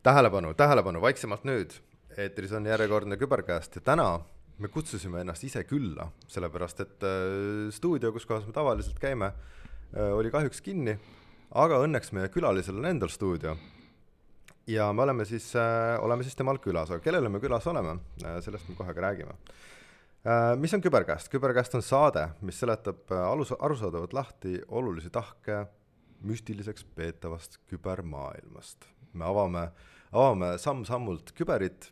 Tähelepanu, vaiksemalt nüüd. Eetris on järjekordne Kübercast ja täna me kutsusime ennast ise külla, sellepärast et stuudio, kus kohas me tavaliselt käime, oli kahjuks kinni, aga õnneks meie külalisel on endal stuudio. Ja me oleme siis temal külas, aga kellele me külas oleme, sellest me kohe ka räägime. Mis on Kübercast? Kübercast on saade, mis seletab arusaadavalt lahti olulisi tahke müstiliseks peetavast kübermaailmast. Me avame samm-sammult küberit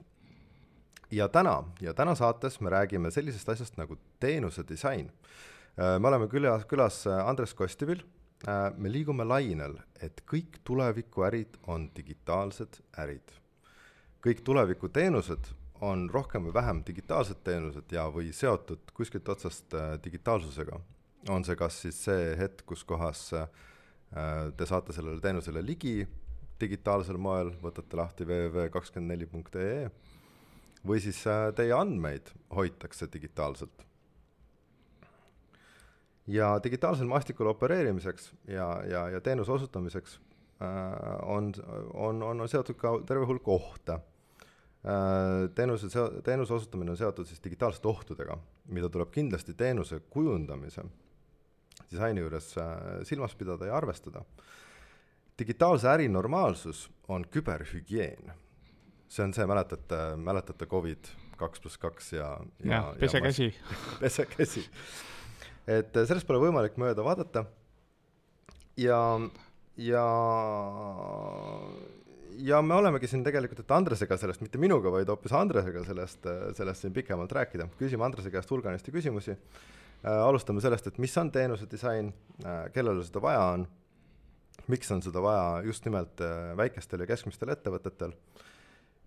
ja täna saates me räägime sellisest asjast nagu teenuse disain. Me oleme külas Andres Kostivil. Me liigume lainel, et kõik tulevikuärid on digitaalsed ärid. Kõik tulevikuteenused on rohkem või vähem digitaalsed teenused ja või seotud kuskilt otsast digitaalsusega. On see kas siis see hetk, kus kohas te saate sellele teenusele ligi digitaalsel moel, võtate lahti www.24.ee või siis teie andmeid hoitakse digitaalselt. Ja digitaalsel maastikul opereerimiseks ja teenuse osutamiseks on seotud ka terve hulk ohte. Teenuse osutamine on seotud siis digitaalsete ohtudega, mida tuleb kindlasti teenuse kujundamise disaini juures silmas pidada ja arvestada. Digitaalse äri normaalsus on küberhügieen. See on see, mäletate COVID 2+2 ja pese käsi. Pese käsi. Et sellest pole võimalik mööda vaadata ja me olemegi siin tegelikult, et Andresega sellest, mitte minuga, vaid hoopis Andresega sellest siin pikemalt rääkida. Küsime Andrese käest hulganisti küsimusi. Alustame sellest, et mis on teenuse disain, kellele seda vaja on, miks on seda vaja just nimelt väikestel ja keskmistel ettevõtetel.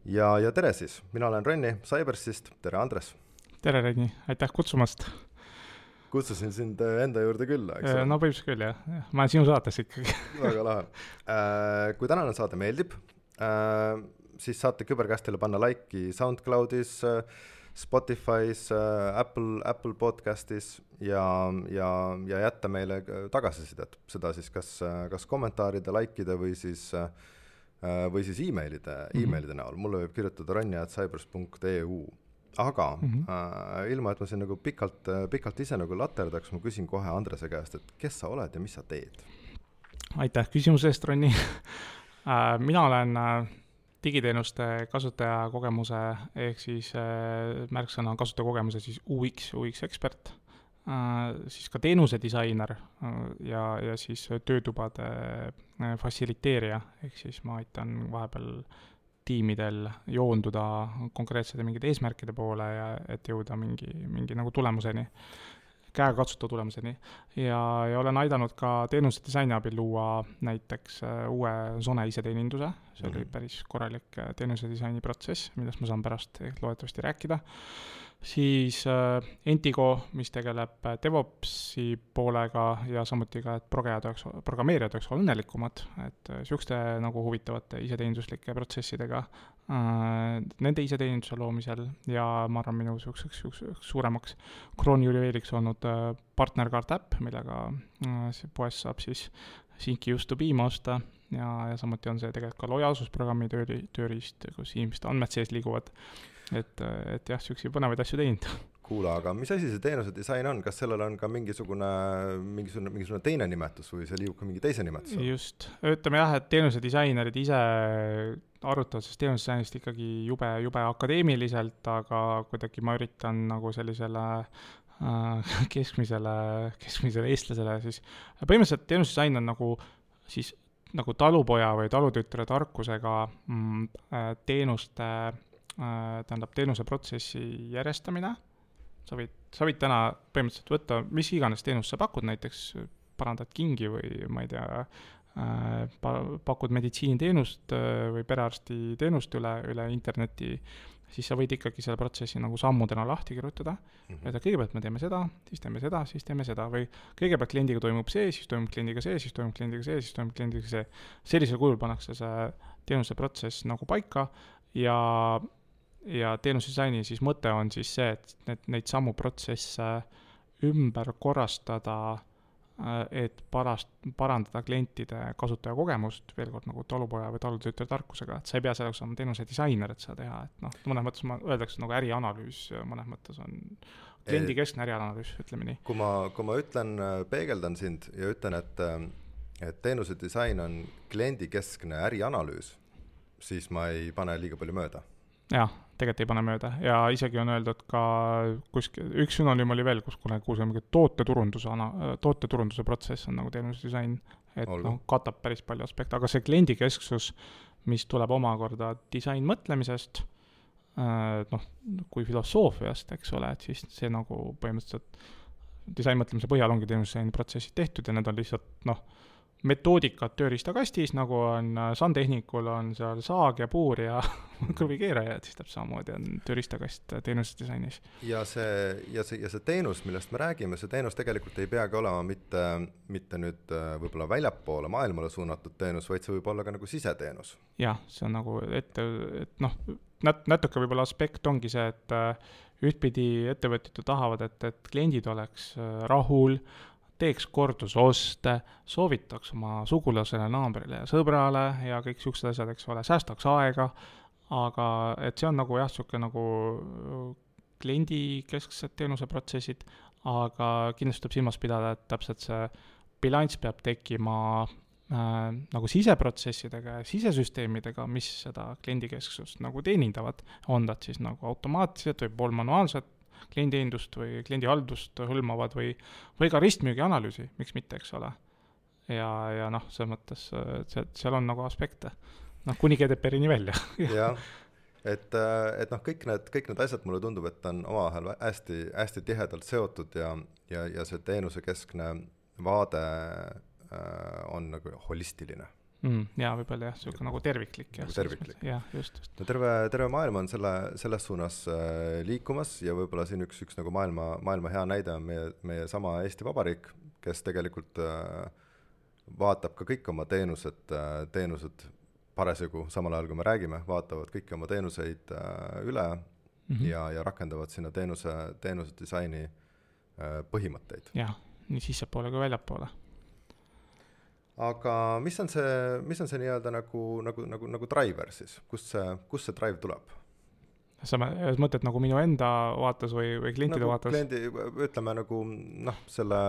Ja tere siis, mina olen Renni Cybersist, tere Andres. Tere Renni, aitäh kutsumast. Kutsusin sind enda juurde külla, eks? No põhimõtteliselt küll, jah. Ma olen sinu saates ikkagi. Väga lahe. Kui tänane saade meeldib, siis saate Kübercastile panna like'i SoundCloudis, Spotify's, Apple Podcastis ja jätta meile tagasisidet. Seda siis kas kommentaaride, like'ide või siis e-mailide näol. Mulle võib kirjutada ronja@cybers.eu. Aga ilma, et ma siin nagu pikalt ise nagu laterdaks, ma küsin kohe Andrese käest, et kes sa oled ja mis sa teed? Aitäh küsimuse eest, Ronni. Mina olen digiteenuste kasutajakogemuse ehk siis märksõna kasutajakogemuse siis UX ekspert, siis ka teenuse disainer ja siis töötubade faciliteerija, ehk siis ma aitan vahepeal tiimidel joonduda konkreetsete mingid eesmärkide poole ja et jõuda mingi nagu tulemuseni, käega katsuta tulemuseni. Ja olen aidanud ka teenuse disaini abil luua näiteks uue Zone iseteeninduse. See oli päris korralik teenuse disaini protsess, millest ma saan pärast loodetavasti rääkida. Siis Entigo, mis tegeleb DevOpsi poolega ja samuti ka, et programmeerijad oleks õnnelikumad, et siukeste nagu huvitavate iseteeninduslike protsessidega nende iseteeninduse loomisel ja ma arvan minu suuremaks kroonijuveeliks olnud partnerkaart äpp, millega poes saab siis Sync Used to Be osta ja samuti on see tegelikult ka lojaalsusprogrammi tööriist, kus inimeste andmed sees liiguvad. Et jah, siuksi põnevaid asju teinud. Kuula, aga mis asi see teenuse disain on? Kas sellel on ka mingisugune teine nimetus või see liigub ka mingi teise nimetus? Just. Ütleme jah, et teenuse disainerid ise arutavad sest teenuse disainist ikkagi jube akadeemiliselt, aga kuidagi ma üritan nagu sellisele keskmisele eestlasele siis. Põhimõtteliselt teenuse disain on nagu talupoja või talutütre tarkusega teenuse protsessi järjestamine. Sa võid täna põhimõtteliselt võtta, mis iganes teenust sa pakud, näiteks parandad kingi või ma ei tea, pakud meditsiiniteenust või perearsti teenust üle interneti, siis sa võid ikkagi selle protsessi nagu sammudena lahti kirjutada. Et kõigepealt me teeme seda, siis teeme seda, siis teeme seda või kõigepealt kliendiga toimub see, siis toimub kliendiga see, siis toimub kliendiga see, siis toimub kliendiga see. Sellisel kujul pannakse see teenuse protsess nagu paika ja teenuse disaini siis mõte on siis see, et neid sammu protsesse ümber korrastada et parandada klientide kasutajakogemust, veel kord nagu talupoja või talutöötaja tarkusega, et sa ei pea selleks olema teenuse disainer, et seda teha, et noh, mõnes mõttes öeldakse nagu ärianalüüs, mõnes mõttes on kliendikeskne ärianalüüs, ütleme nii. Kui ma ütlen, peegeldan sind ja ütlen, et teenuse disain on kliendikeskne ärianalüüs, siis ma ei pane liiga palju mööda. Jah, tegelikult ei pane mööda ja isegi on öeldud ka üks sünonüüm oli veel, kus kuulsime tooteturunduse protsess on nagu teenuse disain, et noh, katab päris palju aspekte, aga see kliendikesksus, mis tuleb omakorda disain mõtlemisest, noh, kui filosoofiast, eks ole, et siis see nagu põhimõtteliselt disain mõtlemise põhjal ongi teenuse protsessid tehtud ja need on lihtsalt, noh, metoodikad tööriistakastis, nagu on Santehnikul on seal saag ja puur ja kõrvikeeraja, et siis täpselt samamoodi on tööriistakast teenuse disainis. Ja see teenus, millest me räägime, see teenus tegelikult ei peagi olema mitte nüüd võib-olla väljapoole maailmale suunatud teenus, vaid see võib olla ka nagu siseteenus. Jah, see on nagu et noh, natuke võib-olla aspekt ongi see, et ühtpidi ettevõtjad tahavad, et kliendid oleks rahul, teeks kordusoste, soovitaks oma sugulasele, naabrile ja sõbrale ja kõik siuksed asjad, eks ole, säästaks aega, aga et see on nagu jah, siuke nagu kliendikesksed teenuseprotsessid, aga kindlasti tuleb silmas pidada, et täpselt see bilanss peab tekkima nagu siseprotsessidega ja sisesüsteemidega, mis seda kliendikesksust nagu teenindavad, on nad siis nagu automaatselt või poolmanuaalselt kliendiindust või kliendihaldust hõlmavad või ka ristmüügi analüüsi, miks mitte, eks ole. Ja noh, selles mõttes seal on nagu aspekte, noh, kuni GDPR-ini välja. Jah, et noh, kõik need asjad mulle tundub, et on omavahel hästi tihedalt seotud ja see teenusekeskne vaade on nagu holistiline. Ja võib-olla jah, see nagu terviklik. Terviklik. Just. No terve maailm on selles suunas liikumas ja võib-olla siin üks nagu maailma hea näide on meie sama Eesti Vabariik, kes tegelikult vaatab ka kõik oma teenused parasjagu, samal ajal kui me räägime, vaatavad kõiki oma teenuseid üle ja rakendavad sinna teenuse disaini põhimõtteid. Jah, nii sissepoole kui väljapoole. Aga mis on see nii-öelda nagu driver siis? Kust see drive tuleb? Sa mõtled nagu minu enda vaates või klientide nagu vaates? Kliendi, ütleme nagu noh, selle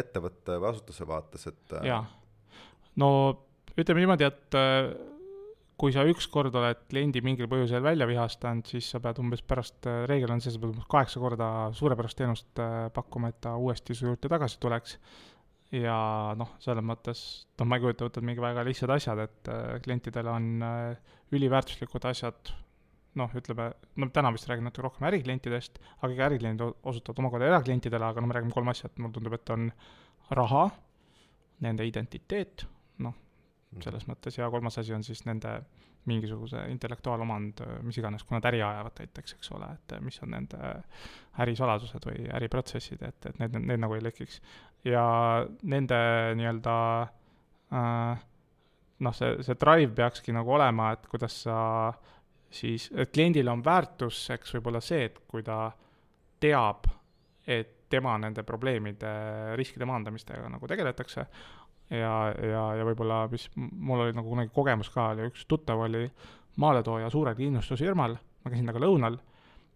ettevõtte või asutuse vaates, et Jaa. No ütleme niimoodi, et kui sa ükskord oled kliendi mingil põhjusel välja vihastanud, siis sa pead umbes pärast, reegel on see, sa pead 8 korda suurepärast teenust pakkuma, et ta uuesti su juurde tagasi tuleks. Ja noh, selles mõttes, ma ei kujuta, võtad mingi väga lihtsad asjad, et klientidel on üliväärtuslikud asjad, noh, ütleme, no täna vist räägin natuke rohkem äriklientidest, aga ka ärikliendid osutavad omakorda eraklientidele, aga no me räägime 3 asjad, mulle tundub, et on raha, nende identiteet, noh, selles mõttes, ja 3. asi on siis nende mingisuguse intellektuaalomand, mis iganes, kui nad äri ajavad näiteks, eks ole, et mis on nende ärisaladused või äriprotsessid, et need nagu ei lekiks. Ja nende nii-öelda, noh, see drive peakski nagu olema, et kuidas sa siis, et kliendil on väärtuseks võib-olla see, et kui ta teab, et tema nende probleemide, riskide maandamistega nagu tegeletakse, ja võib-olla, mis mul oli nagu kunagi kogemus ka, oli üks tuttav oli maaletooja suure kindlustusfirmal, ma käisin taga lõunal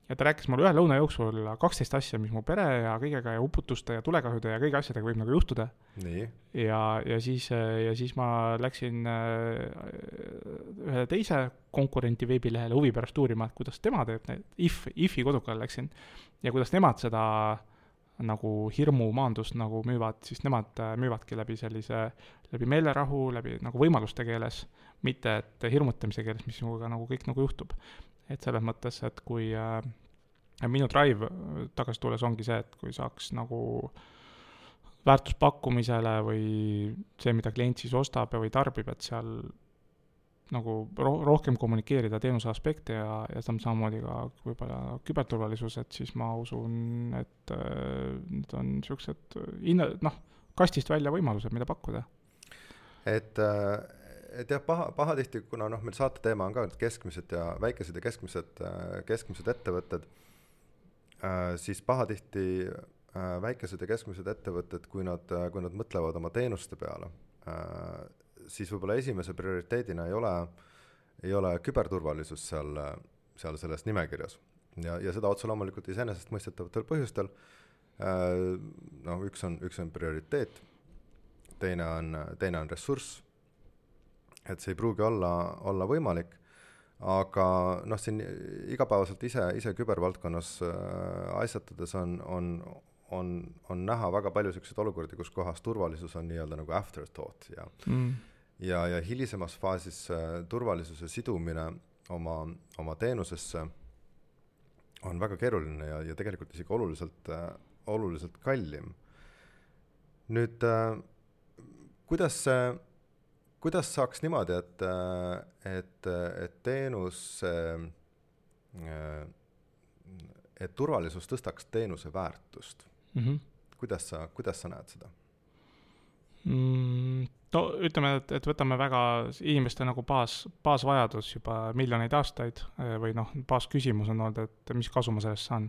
ja ta rääkis mulle ühe lõuna jooksul 12 asja, mis mu pere ja kõigega ja uputuste ja tulekahjude ja kõigi asjadega võib nagu juhtuda. Nii. Ja siis ma läksin ühe teise konkurenti veebilehele huvi pärast uurima, et kuidas tema teeb need, IF-i kodukale läksin ja kuidas nemad seda nagu hirmu maandust nagu müüvad, siis nemad müüvadki läbi meelerahu, läbi nagu võimaluste keeles, mitte et hirmutamise keeles, mis sinuga nagu kõik nagu juhtub. Et selles mõttes, et kui minu drive tagasi tulles ongi see, et kui saaks nagu väärtuspakkumisele või see, mida klient siis ostab või tarbib, et seal nagu rohkem kommunikeerida teenuse aspekte ja samamoodi ka võib-olla küberturvalisus, et siis ma usun, et need on niisugused kastist välja võimalused, mida pakkuda. Et jah, pahatihti, kuna meil saate teema on ka keskmised ja väikesed ja keskmised ettevõtted, siis pahatihti väikesed ja keskmised ettevõtted, kui nad mõtlevad oma teenuste peale, siis võib-olla esimese prioriteedina ei ole küberturvalisus seal selles nimekirjas. Ja seda otse loomulikult iseenesest mõistetavatel põhjustel. Üks on prioriteet, teine on ressurss, et see ei pruugi olla võimalik, aga siin igapäevaselt ise kübervaldkonnas asjatades on näha väga palju selliseid olukordi, kus kohas turvalisus on nii-öelda nagu afterthought ja hilisemas faasis turvalisuse sidumine oma teenusesse on väga keeruline ja tegelikult isegi oluliselt kallim. Nüüd, kuidas saaks niimoodi, et teenus, et turvalisus tõstaks teenuse väärtust? Kuidas sa näed seda? No ütleme, et võtame väga inimeste nagu baasvajadus juba miljoneid aastaid või baasküsimus on olnud, et mis kasu ma sellest saan.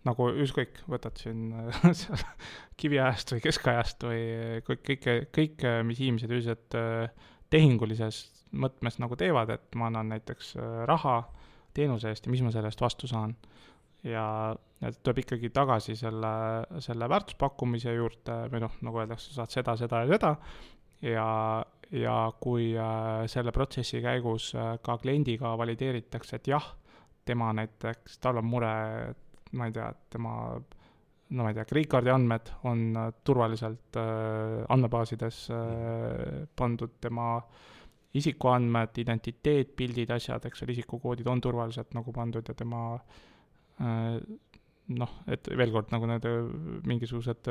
Nagu ükskõik, võtad siin kiviajast või keskajast või kõik, mis inimesed üldiselt tehingulises mõtmes nagu teevad, et ma annan näiteks raha teenuse eest ja mis ma sellest vastu saan. Ja tuleb ikkagi tagasi selle väärtuspakkumise juurde või nagu öeldakse, saad seda ja seda ja kui selle protsessi käigus ka kliendiga valideeritakse, et jah, tema näiteks, tal on mure, ma ei tea, et tema Krediitkaardi andmed on turvaliselt andmebaasides pandud, tema isikuandmed, identiteet, pildid, asjad, eks ole, isikukoodid on turvaliselt nagu pandud ja tema et veel kord nagu need mingisugused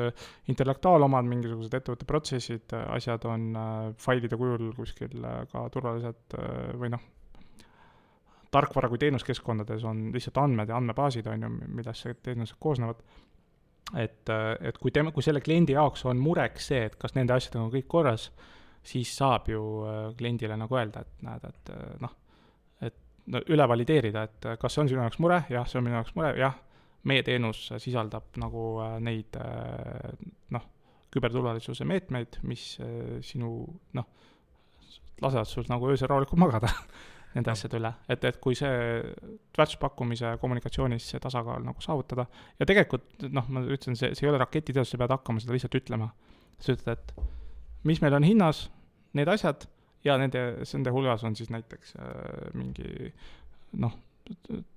intellektuaalomad, mingisugused ettevõtte protsessid, asjad on failide kujul kuskil ka turvaliselt või tarkvara kui teenuskeskkondades on lihtsalt andmed ja andmebaasid on ju, millest see teenused koosnevad. Et kui selle kliendi jaoks on mureks see, et kas nende asjadega on kõik korras, siis saab ju kliendile nagu öelda, et näed, et üle valideerida, et kas see on sinu jaoks mure, jah, see on minu jaoks mure, jah, meie teenus sisaldab nagu neid küberturvalisuse meetmeid, mis sinu lasevad sul nagu öösel rahulikult magada nende asjade üle, et kui see väärtuspakkumise kommunikatsioonis see tasakaal nagu saavutada ja tegelikult ma ütlen, see ei ole raketiteos, sa pead hakkama seda lihtsalt ütlema. Sa ütled, et mis meil on hinnas, need asjad ja nende hulgas on siis näiteks mingi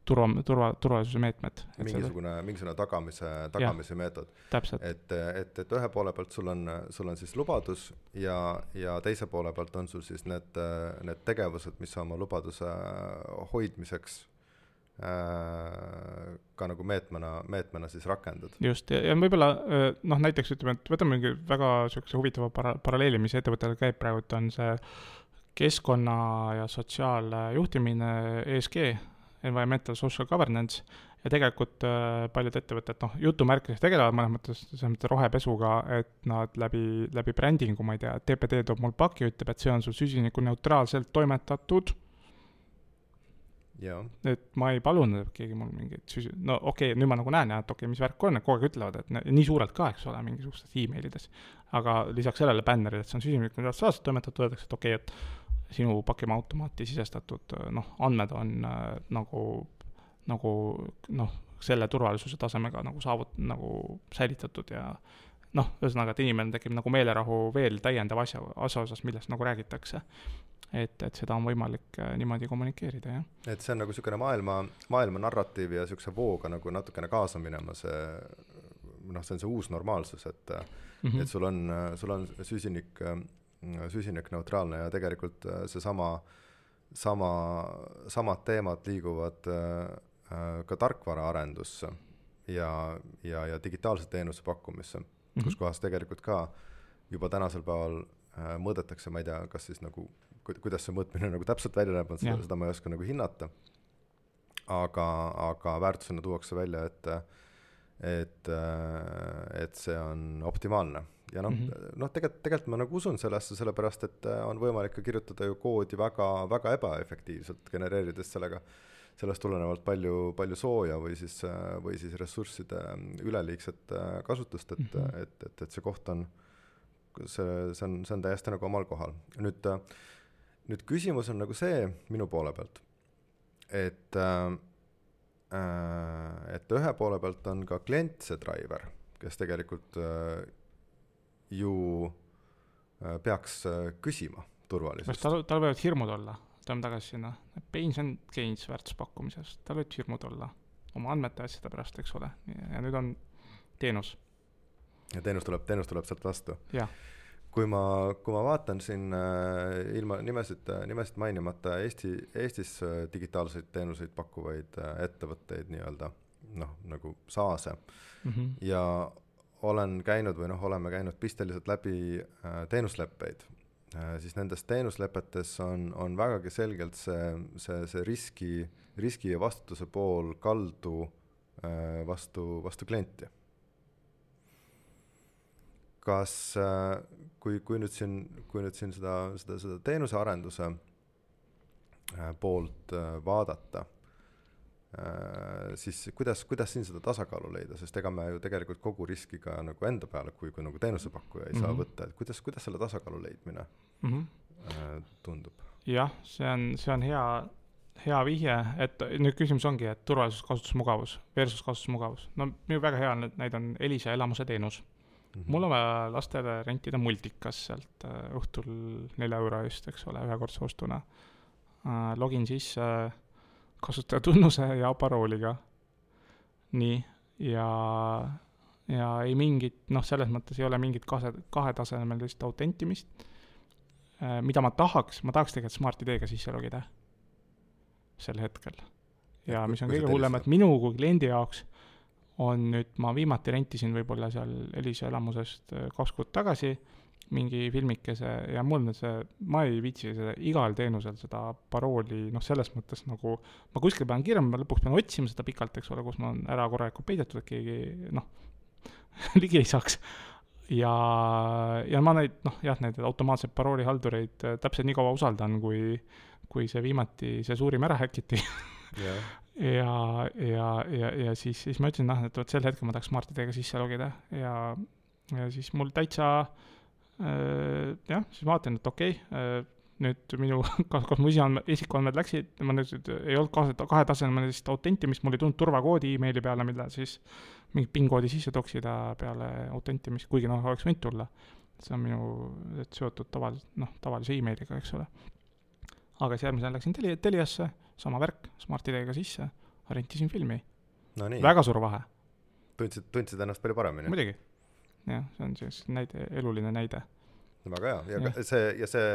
turvalisuse meetmed. Mingisugune tagamise meetod. Täpselt. Et ühe poole pealt sul on siis lubadus ja teise poole pealt on sul siis need tegevused, mis oma lubaduse hoidmiseks ka nagu meetmena siis rakendad. Just, ja võib-olla näiteks ütleme, et võtame mingi väga huvitava paralleeli, mis ettevõttel käib praegu, et on see keskkonna ja sotsiaaljuhtimine ESG, Environmental Social Governance, ja tegelikult paljud ettevõtted jutumärkides tegelevad mõnes mõttes rohepesuga, et nad läbi brändingu, ma ei tea, TPD toob mul paki, ütleb, et see on sul süsiniku neutraalselt toimetatud. Ja. Et ma ei palunud, et keegi mul mingit nüüd ma nagu näen, et mis värk on, kogu aeg ütlevad, et nii suurelt ka, eks ole, mingisugustes e-mailides, aga lisaks sellele bännerile, et see on süsiniku neutraalselt toimetatud, öeldakse, et okei, et sinu pakima automaati sisestatud andmed on nagu selle turvalisuse tasemega nagu säilitatud ja ühesõnaga, et inimene tekib nagu meelerahu veel täiendav asja osas, millest nagu räägitakse. Et seda on võimalik niimoodi kommunikeerida, jah. Et see on nagu niisugune maailma narratiivi ja niisuguse vooga nagu natukene kaasa minema, see on see uus normaalsus, et sul on süsinik neutraalne ja tegelikult see samad teemad liiguvad ka tarkvara arendusse ja digitaalse teenuse pakkumisse, kus kohas tegelikult ka juba tänasel päeval mõõdetakse, ma ei tea, kas siis nagu kuidas see mõõtmine nagu täpselt välja näeb, seda ma ei oska nagu hinnata, aga väärtusena tuuakse välja, et see on optimaalne. Ja tegelikult ma nagu usun sellesse, sellepärast, et on võimalik ka kirjutada ju koodi väga, väga ebaefektiivselt, genereerides sellest tulenevalt palju sooja või siis ressursside üleliigset kasutust, et see koht on, see on täiesti nagu omal kohal. Nüüd küsimus on nagu see minu poole pealt, et ühe poole pealt on ka klient see driver, kes tegelikult ju peaks küsima turvalisust. Tal võivad hirmud olla, tuleme tagasi sinna, pains and gains väärtuspakkumisest, tal võivad hirmud olla oma andmete asjade pärast, eks ole, ja nüüd on teenus. Ja teenus tuleb sealt vastu. Jah. Kui ma vaatan siin ilma nimesid mainimata Eestis digitaalseid teenuseid pakkuvaid ettevõtteid nii-öelda, nagu SaaSe ja olen käinud või oleme käinud pisteliselt läbi teenusleppeid, siis nendes teenuslepetes on vägagi selgelt see riski ja vastutuse pool kaldu vastu klienti. Kas, kui nüüd siin seda teenuse arenduse poolt vaadata, siis kuidas siin seda tasakaalu leida, sest ega me ju tegelikult kogu riskiga nagu enda peale, kui nagu teenusepakkuja ei saa võtta, et kuidas selle tasakaalu leidmine tundub? Jah, see on hea vihje, et nüüd küsimus ongi, et turvalisus, kasutusmugavus versus kasutusmugavus. No minu väga hea näide on Elisa elamuse teenus. Mul on vaja lastele rentida multikas sealt õhtul 4 euro eest, eks ole, ühekordse ostuna. Login sisse kasutajatunnuse ja parooliga. Nii, ja ei mingit, selles mõttes ei ole mingit kahetasemelist autentimist, mida ma tahaks tegelikult Smart ID-ga sisse logida sel hetkel. Ja mis on kõige hullem, et minu kui kliendi jaoks on nüüd, ma viimati rentisin võib-olla seal Elisa elamusest 2 kuud tagasi mingi filmikese ja mul ma ei viitsi igal teenusel seda parooli, selles mõttes nagu ma kuskil pean kirjama, ma lõpuks pean otsima seda pikalt, eks ole, kus ma on ära korralikult peidetud, et keegi ligi ei saaks. Ja ma neid automaatseid paroolihaldureid täpselt nii kaua usaldan, kui see viimati see suurim ära häkiti. Ja siis ma ütlesin, et sel hetkel ma tahaks Smart ID-ga sisse logida ja siis mul täitsa siis vaatan, et okei, nüüd minu, kas mu isikuandmed läksid, ma nüüd ei olnud kahetasemelist autentimist, mul ei tulnud turvakoodi e-maili peale, mille siis mingi PIN-koodi sisse toksida peale autentimist, kuigi oleks võinud tulla. See on minu seotud tavalise e-mailiga, eks ole. Aga siis järgmisel läksin Teliasse, sama värk, Smart ID-ga sisse, rentisin filmi. No nii. Väga suur vahe. Tundsid ennast palju paremini? Muidugi. Jah, see on siis eluline näide. Väga hea. Ja see,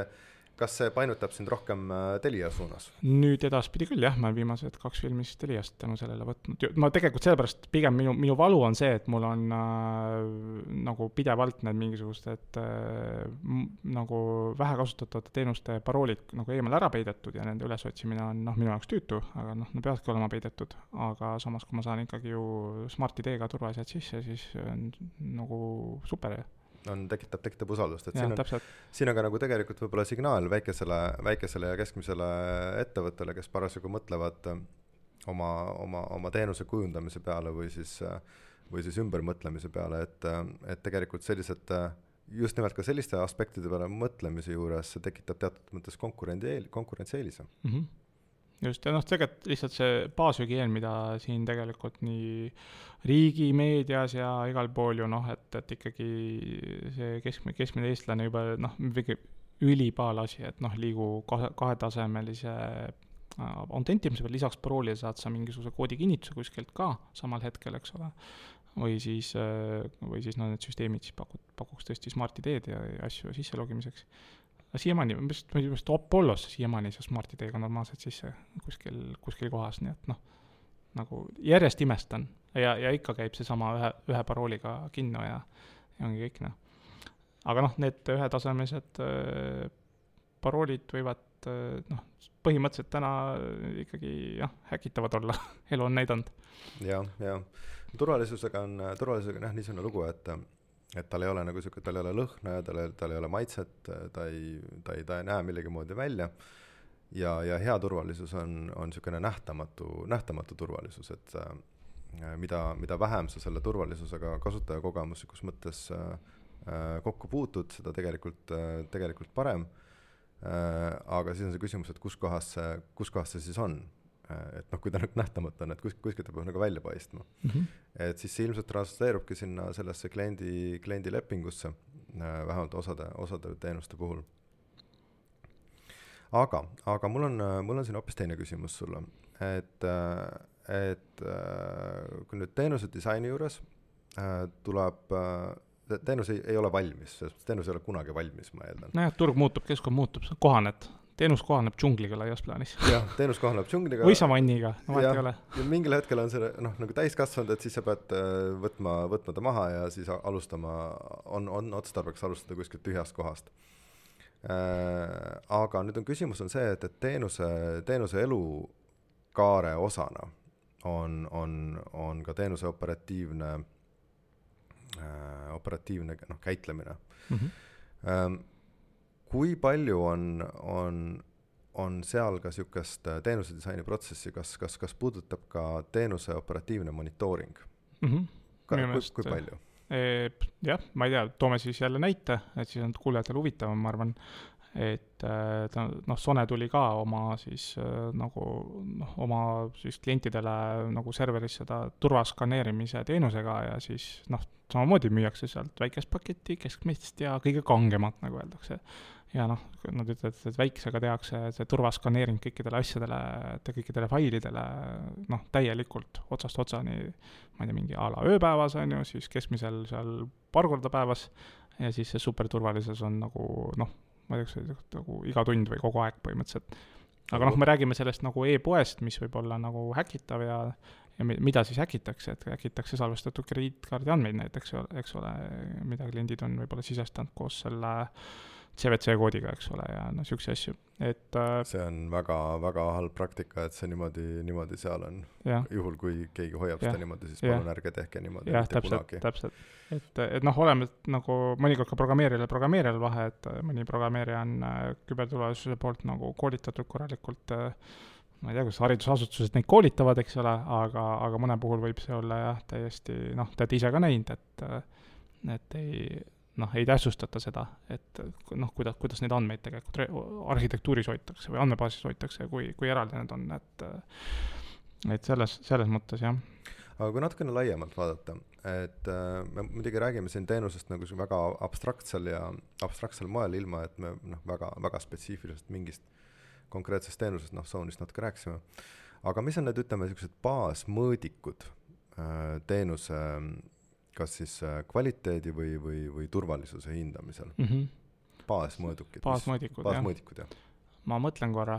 kas see painutab sind rohkem Telia suunas? Nüüd edaspidi küll, jah, ma olen viimased 2 filmist Teliast tänu sellele võtnud. Ma tegelikult sellepärast pigem minu valu on see, et mul on nagu pidevalt need mingisugused nagu vähe kasutatavate teenuste paroolid nagu eemal ära peidetud ja nende ülesotsimine on minu jaoks tüütu, aga nad peavadki olema peidetud. Aga samas, kui ma saan ikkagi ju Smart ID-ga turvalised sisse, siis on nagu super. Tekitab usaldust, et ja, siin on ka nagu tegelikult võib-olla signaal väikesele ja keskmisele ettevõttele, kes parasjagu mõtlevad oma teenuse kujundamise peale või siis ümbermõtlemise peale, et tegelikult sellised, just nimelt ka selliste aspektide peale mõtlemise juures see tekitab teatud mõttes konkurentsieelise. Just, ja tegelikult lihtsalt see baashügieen, mida siin tegelikult nii riigi meedias ja igal pool ju et ikkagi see keskmine eestlane juba ülipaalasi, et liigu kahetasemelise autentimise peal, lisaks paroolile saad sa mingisuguse koodi kinnituse kuskilt ka samal hetkel, eks ole, või siis need süsteemid siis pakuks tõesti Smart ID-d ja asju sisse logimiseks. Siiamaani, Apollos siiamaani see Smart ID-ga normaalselt sisse kuskil kohas, nii et nagu järjest imestan ja ikka käib see sama ühe parooliga kinno ja ongi kõik. Aga need ühetasemelised paroolid võivad põhimõtteliselt täna ikkagi häkitavad olla, elu on näidanud. Ja turvalisusega on niisugune lugu, et tal ei ole nagu siuke, tal ei ole lõhna ja tal ei ole maitset, ta ei näe millegi moodi välja ja hea turvalisus on niisugune nähtamatu turvalisus, et mida vähem sa selle turvalisusega kasutajakogemuslikus mõttes kokku puutud, seda tegelikult parem. Aga siis on see küsimus, et kus kohas see siis on. Et kui ta nähtamata on, et kuskilt ta peab nagu välja paistma. Et siis see ilmselt transleerubki sinna sellesse kliendi lepingusse, vähemalt osade teenuste puhul. Aga mul on siin hoopis teine küsimus sulle, et kui nüüd teenuse disaini juures tuleb, teenus ei ole valmis, sest teenus ei ole kunagi valmis, ma eeldan. Näed, turg muutub, keskkond muutub, kohaned. Teenus kohaneb džungliga laias plaanis. Jah, teenus kohaneb džungliga. Või savanniga, ei ole. Ja mingil hetkel on see nagu täiskasvanud, et siis sa pead võtma ta maha ja siis alustama, on otstarbeks alustada kuskilt tühjast kohast. Aga nüüd küsimus on see, et teenuse elukaare osana on ka teenuse operatiivne käitlemine. Kui palju on seal ka niisugust teenuse disaini protsessi, kas puudutab ka teenuse operatiivne monitooring? Kui palju? Jah, ma ei tea, toome siis jälle näite, et siis on kuulejatel huvitavam, ma arvan, et Sone tuli ka oma klientidele nagu serveris seda turvaskanneerimise teenusega ja siis samamoodi müüakse sealt väikest paketti, keskmist ja kõige kangemat, nagu öeldakse. Ja nad ütlevad, et väiksega tehakse see turvaskanneering kõikidele asjadele, kõikidele failidele täielikult otsast otsani, ma ei tea, mingi ala ööpäevas on ju, siis keskmisel seal paar korda päevas ja siis see superturvalisus on nagu, ma ei tea, nagu iga tund või kogu aeg põhimõtteliselt. Aga me räägime sellest nagu e-poest, mis võib olla nagu häkitav ja mida siis häkitakse, et häkitakse salvestatud krediitkaardi andmeid näiteks, eks ole, mida kliendid on võib-olla sisestanud koos selle CVC-koodiga, eks ole, ja niisuguse asju. See on väga, väga halb praktika, et see niimoodi seal on. Juhul, kui keegi hoiab seda niimoodi, siis palun ärge tehke niimoodi. Jah, täpselt. Et oleme nagu mõnikord ka programmeerijal vahe, et mõni programmeerija on küberturvalisuse poolt nagu koolitatud korralikult, ma ei tea, kus haridusasutused neid koolitavad, eks ole, aga mõne puhul võib see olla jah, täiesti, tead ise ka näinud, et ei tähtsustata seda, et kuidas neid andmeid tegelikult arhitektuuris hoitakse või andmebaasis hoitakse, kui eraldi need on, et selles mõttes, jah. Aga kui natukene laiemalt vaadata, et me muidugi räägime siin teenusest nagu väga abstraktsel moel, ilma et me väga, väga spetsiifiliselt mingist konkreetsest teenusest, Zone'ist natuke rääkisime. Aga mis on need, ütleme, sellised baasmõõdikud teenuse kas siis kvaliteedi või turvalisuse hindamisel? Baasmõõdikud, jah. Ma mõtlen korra.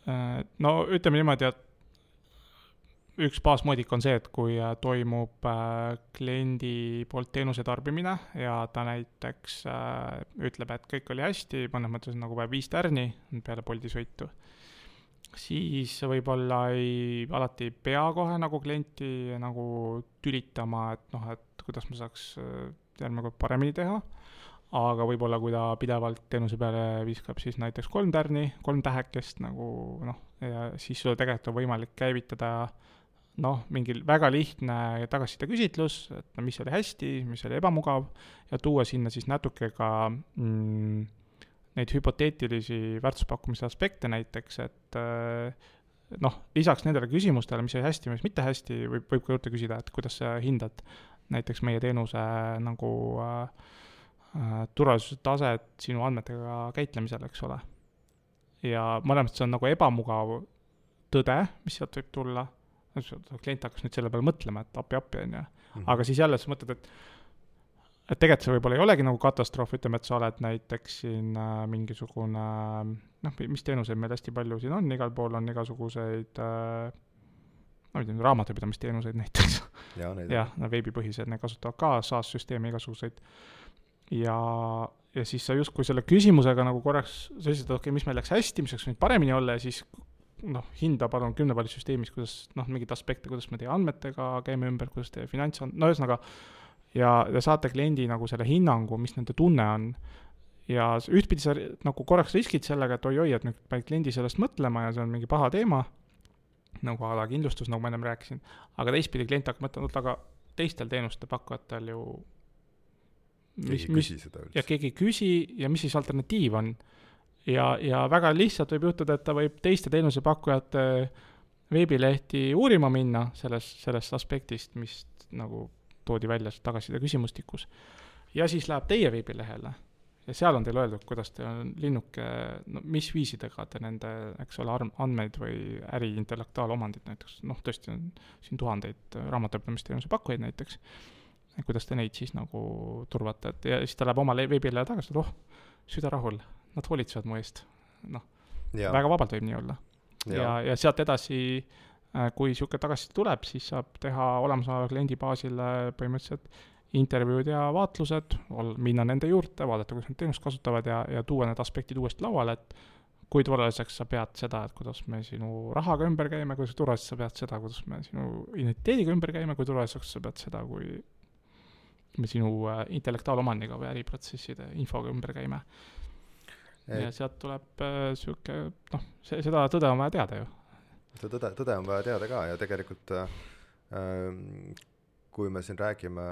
Ütleme niimoodi, et üks baasmõõdik on see, et kui toimub kliendi poolt teenuse tarbimine ja ta näiteks ütleb, et kõik oli hästi, mõnes mõttes nagu 5 tärni peale Bolti sõitu, siis võib-olla alati ei pea kohe nagu klienti nagu tülitama, et kuidas ma saaks järgmine kord paremini teha, aga võib-olla kui ta pidevalt teenuse peale viskab siis näiteks 3 tärni, 3 tähekest ja siis sul tegelikult on võimalik käivitada mingil väga lihtne tagasiside küsitlus, et mis oli hästi, mis oli ebamugav ja tuua sinna siis natuke ka neid hüpoteetilisi väärtuspakkumise aspekte näiteks, et lisaks nendele küsimustele, mis oli hästi, mis mitte hästi, võib ka juurde küsida, et kuidas sa hindad näiteks meie teenuse nagu turvalisuse taset sinu andmetega käitlemisel, eks ole. Ja mõlemad see on nagu ebamugav tõde, mis sealt võib tulla. Klient hakkas nüüd selle peale mõtlema, et appi on ja. Aga siis jälle sa mõtled, et tegelikult see võib-olla ei olegi nagu katastroof, ütleme, et sa oled näiteks siin mingisugune, mis teenuseid meil hästi palju siin on, igal pool on igasuguseid raamatupidamisteenuseid näiteks. Ja veebipõhised, need kasutavad ka SaaS-süsteemi igasuguseid. Ja siis sa just kui selle küsimusega nagu korraks, sa ütlesid, et mis meil läks hästi, mis läks nüüd paremini olla ja siis hinda palun 10-pallisüsteemis, kuidas mingid aspekte, kuidas me teie andmetega käime ümber, kuidas teie finants on, ühesõnaga ja saate kliendi nagu selle hinnangu, mis nende tunne on ja ühtpidi sa nagu korraks riskid sellega, et oi-oi, et nüüd paned kliendi sellest mõtlema ja see on mingi paha teema, nagu ala kindlustus, nagu ma ennem rääkisin, aga teistpidi klient hakkab mõtlema, aga teistel teenuste pakkujatel ju keegi ei küsi ja mis siis alternatiiv on. Ja väga lihtsalt võib juhtuda, et ta võib teiste teenusepakkujate veebilehti uurima minna sellest aspektist, mis nagu toodi välja tagasiside küsimustikus. Ja siis läheb teie veebilehele ja seal on teil öeldud, kuidas te on linnuke, no, mis viisidega te nende, eks ole, andmeid või äri intellektuaalomandit näiteks, noh, tõesti on siin tuhandeid raamatupidamisteenuse pakkujaid näiteks, kuidas te neid siis nagu turvate, et ja siis ta läheb oma veebilehe tagasi, et süda rahul, nad hoolitsevad mu eest, noh, väga vabalt võib nii olla. Ja sealt edasi, kui siuke tagasiside tuleb, siis saab teha olemasoleva kliendi baasile põhimõtteliselt intervjuud ja vaatlused, minna nende juurde, vaadata, kuidas nad teenust kasutavad ja tuua need aspektid uuesti lauale, et kui turvaliseks sa pead seda, et kuidas me sinu rahaga ümber käime, kuidas turvaliseks sa pead seda, kuidas me sinu identiteediga ümber käime, kui turvaliseks sa pead seda, kui me sinu intellektuaalomandiga või äriprotsesside infoga ümber käime. Ja sealt tuleb siuke, noh, seda tõde on vaja teada ju. Seda tõde on vaja teada ka ja tegelikult kui me siin räägime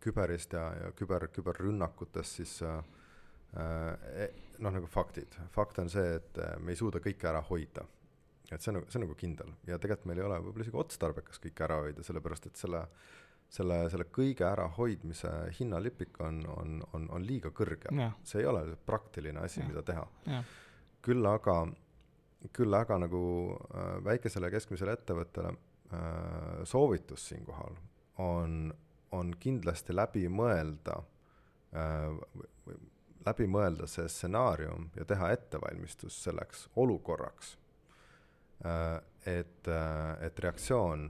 küberist ja küberrünnakutest, siis noh, nagu faktid. Fakt on see, et me ei suuda kõike ära hoida. Et see on nagu kindel. Ja tegelikult meil ei ole võib-olla isegi otstarbekas kõike ära hoida, sellepärast et selle kõige ära hoidmise hinnalipik on liiga kõrge. Ja. See ei ole praktiline asi, mida teha. Ja. Küll aga nagu väikesele ja keskmisele ettevõttele soovitus siinkohal on kindlasti läbi mõelda see stsenaarium ja teha ettevalmistus selleks olukorraks, et reaktsioon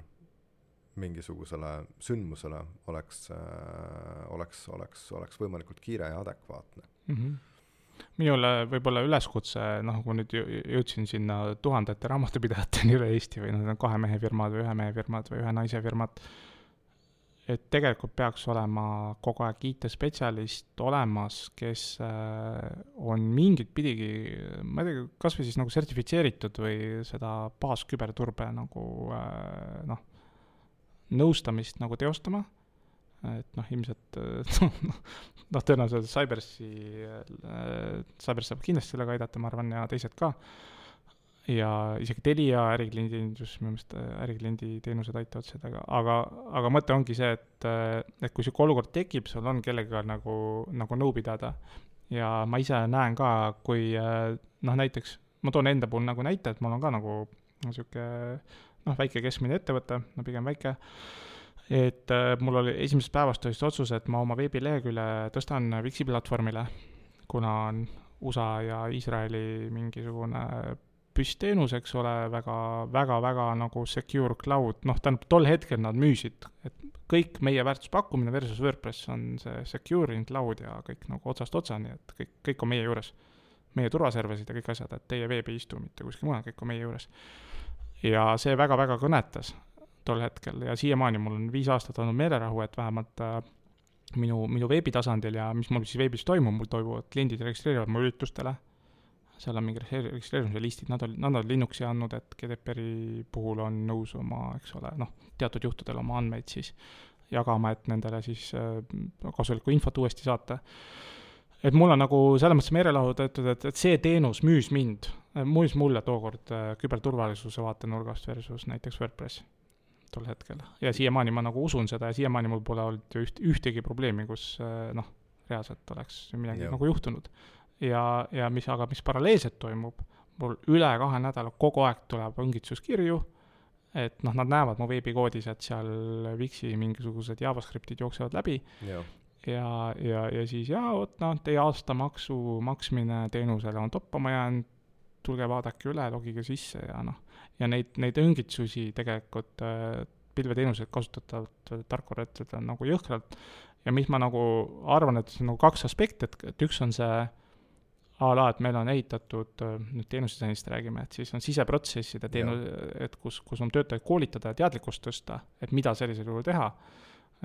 mingisugusele sündmusele oleks võimalikult kiire ja adekvaatne. Minule võib-olla üleskutse, noh, kui nüüd jõudsin sinna tuhandete raamatupidajateni üle Eesti või need on 2 mehe firmad või 1 mehe firmad või 1 naise firmad, et tegelikult peaks olema kogu aeg IT-spetsialist olemas, kes on mingit pidigi, ma ei tea, kas või siis nagu sertifitseeritud või seda baasküberturbe nagu noh, nõustamist nagu teostama, et noh, ilmselt noh, tõenäoliselt Cyberss saab kindlasti sellega aidata, ma arvan, ja teised ka. Ja isegi Telia ärikliendi teenused aitavad seda, aga mõte ongi see, et kui siuke olukord tekib, sul on kellega nagu nõu pidada. Ja ma ise näen ka, kui noh, näiteks, ma toon enda puhul nagu näite, et mul on ka nagu siuke noh, väike keskmine ettevõte, no pigem väike, et mul oli esimesest päevast otsus, et ma oma veebilehekülje tõstan Wixi platvormile, kuna on USA ja Iisraeli mingisugune püstteenus, eks ole, väga nagu secure cloud, noh, tol hetkel nad müüsid, et kõik meie väärtuspakkumine versus WordPress on see secure in cloud ja kõik nagu otsast otsani, et kõik on meie juures, meie turvaservisid ja kõik asjad, et teie veeb ei istu mitte kuskil mujal, kõik on meie juures. Ja see väga kõnetas tol hetkel ja siiamaani mul on 5 aastat olnud meelerahu, et vähemalt minu veebitasandil ja mis mul siis veebis toimub, mul toimuvad kliendid registreerivad mu üritustele, seal on mingi registreerimise listid, nad on Linuxi andnud, et GDPR-i puhul on nõus oma, eks ole, noh, teatud juhtudel oma andmeid siis jagama, et nendele siis kasulikku infot uuesti saata. Et mul on nagu selles mõttes meelelahu töötud, et see teenus müüs mulle tookord küberturvalisuse vaatenurgast versus näiteks WordPress tol hetkel. Ja siiamaani ma nagu usun seda ja siiamaani mul pole olnud ühtegi probleemi, kus noh, reaalselt oleks midagi nagu juhtunud. Ja mis paralleelselt toimub, mul üle 2 nädala kogu aeg tuleb õngitsuskirju, et noh, nad näevad mu veebikoodis, et seal Wixi mingisugused JavaScriptid jooksevad läbi ja siis teie aastamaksu maksmine teenusele on toppama jäänud, tulge vaadake üle, logige sisse ja neid õngitsusi tegelikult pilveteenused kasutatavat tarkvarad on nagu jõhkralt ja mis ma nagu arvan, et see on nagu 2 aspekti, et üks on see et meil on ehitatud, nüüd teenusdisainist räägime, et siis on siseprotsesside et kus on töötajaid koolitada ja teadlikkust tõsta, et mida sellisel juhul teha.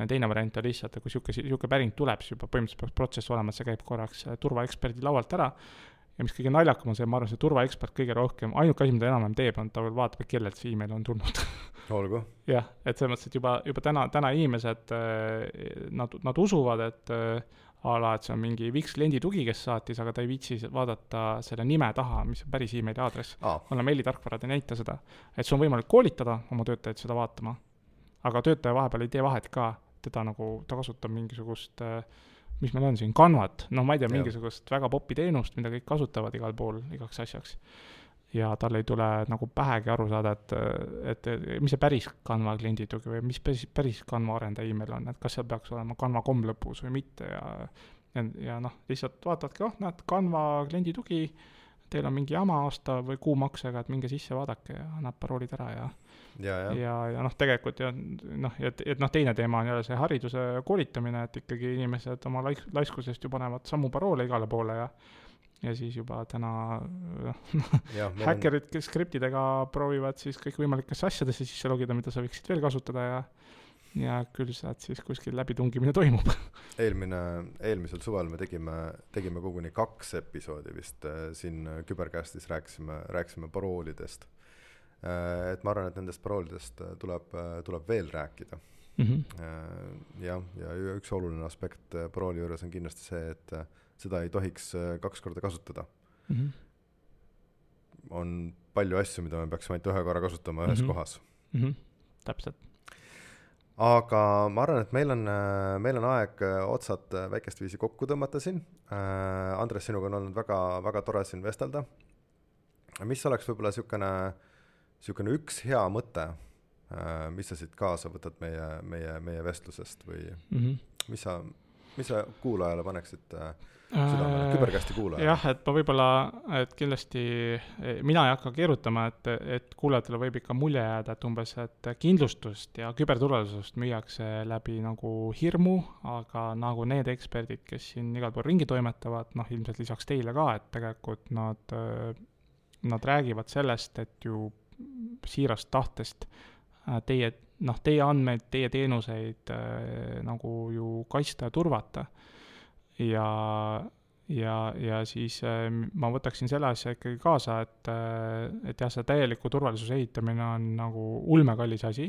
teine variant on lihtsalt, et kui siuke päring tuleb, siis juba põhimõtteliselt peaks protsess olema, et see käib korraks turvaeksperdi laualt ära ja mis kõige naljakam on see, ma arvan, see turvaekspert kõige rohkem, ainuke asi, mida enam teeb, on ta veel vaatab, kellelt see email on tulnud. Olgu. Jah, et selles mõttes, et juba täna inimesed, nad usuvad, et et see on mingi Wix kliendi tugi, kes saatis, aga ta ei viitsi vaadata selle nime taha, mis on päris emaili aadress. Kuna meilitarkvarad ei näita seda, et see on võimalik koolitada oma töötajaid seda vaatama, aga töötaja vahepeal ei tee vahet ka, ta kasutab mingisugust mis meil on siin, Canvat, ma ei tea, mingisugust väga popi teenust, mida kõik kasutavad igal pool igaks asjaks. Ja tal ei tule nagu pähegi aru saada, et mis see päris Canva klienditugi või mis päris Canva arendaja email on, et kas seal peaks olema Canva.com lõpus või mitte ja lihtsalt vaatadki, näed, Canva klienditugi, teil on mingi jama aasta või kuumaksega, et minge sisse vaadake ja annab paroolid ära ja tegelikult teine teema on jälle see hariduse koolitamine, et ikkagi inimesed oma laiskusest ju panevad sammu paroole igale poole ja siis juba täna häkkerid, kes skriptidega proovivad siis kõikvõimalikesse asjadesse sisse logida, mida sa võiksid veel kasutada ja küll sealt siis kuskil läbitungimine toimub. Eelmisel suvel me tegime koguni 2 episoodi vist siin Kübercastis rääkisime paroolidest. Et ma arvan, et nendest paroolidest tuleb veel rääkida. Ja üks oluline aspekt parooli juures on kindlasti see, et seda ei tohiks 2 korda kasutada. On palju asju, mida me peaksime ainult 1 korra kasutama ühes kohas. Täpselt. Aga ma arvan, et meil on aeg otsad väikest viisi kokku tõmmata siin. Andres, sinuga on olnud väga, väga tore siin vestelda. Mis oleks võib-olla siukene üks hea mõte, mis sa siit kaasa võtad meie vestlusest või mis sa kuulajale paneksid südamele, Kübercasti kuulajale? Jah, et ma võib-olla, et kindlasti mina ei hakka keerutama, et kuulajatele võib ikka mulje jääda, et umbes, et kindlustust ja küberturvalisust müüakse läbi nagu hirmu, aga nagu need eksperdid, kes siin igal pool ringi toimetavad, ilmselt lisaks teile ka, et tegelikult nad räägivad sellest, et ju siirast tahtest teie andmeid, teie teenuseid nagu ju kaitsta ja turvata. Ja siis ma võtaksin selle asja ikkagi kaasa, et jah, see täieliku turvalisuse ehitamine on nagu ulmekallis asi.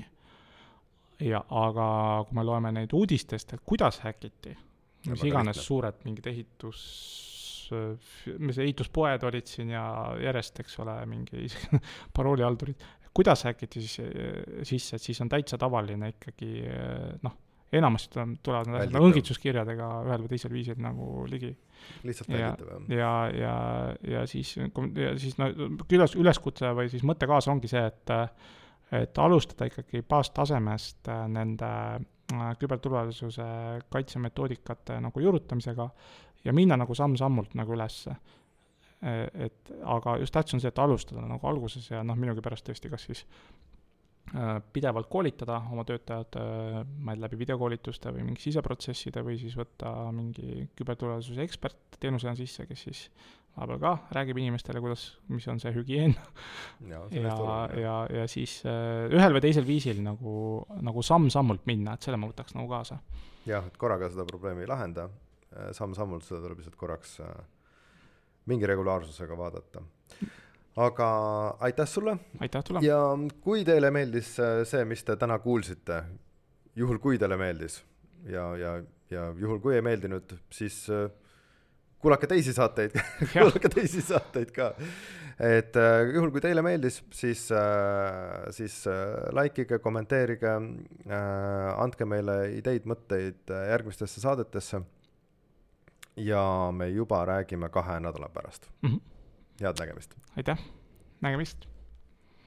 Aga kui me loeme neid uudistest, et kuidas häkiti, mis iganes suured mingid ehituspoed olid siin ja järjest, eks ole, mingi paroolihaldurid, kuidas häkiti sisse, et siis on täitsa tavaline ikkagi, enamasti tulevad nad õngitsuskirjadega ühel või teisel viisil nagu ligi. Lihtsalt välditab. Ja siis üleskutse või siis mõtte kaasa ongi see, et alustada ikkagi baastasemest nende küberturvalisuse kaitsemetoodikate nagu juurutamisega ja minna nagu samm-sammult nagu ülesse. Aga just tähtis on see, et alustada nagu alguses ja minugi pärast tõesti kas siis pidevalt koolitada oma töötajad läbi videokoolituste või mingi siseprotsesside või siis võtta mingi küberturvalisuse ekspert teenusena sisse, kes siis vahepeal ka räägib inimestele, mis on see hügieen ja siis ühel või teisel viisil nagu samm-sammult minna, et selle ma võtaks nagu kaasa. Jah, et korraga seda probleemi ei lahenda, samm-sammult seda tuleb lihtsalt korraks mingi regulaarsusega vaadata. Aga aitäh sulle. Aitäh sulle. Ja kui teile meeldis see, mis te täna kuulsite, juhul kui teile meeldis ja juhul kui ei meeldinud, siis kuulake teisi saateid ka. Et juhul kui teile meeldis, siis likeige, kommenteerige, andke meile ideid, mõtteid järgmistesse saadetesse ja me juba räägime 2 nädala pärast. Head nägemist. Aitäh, nägemist.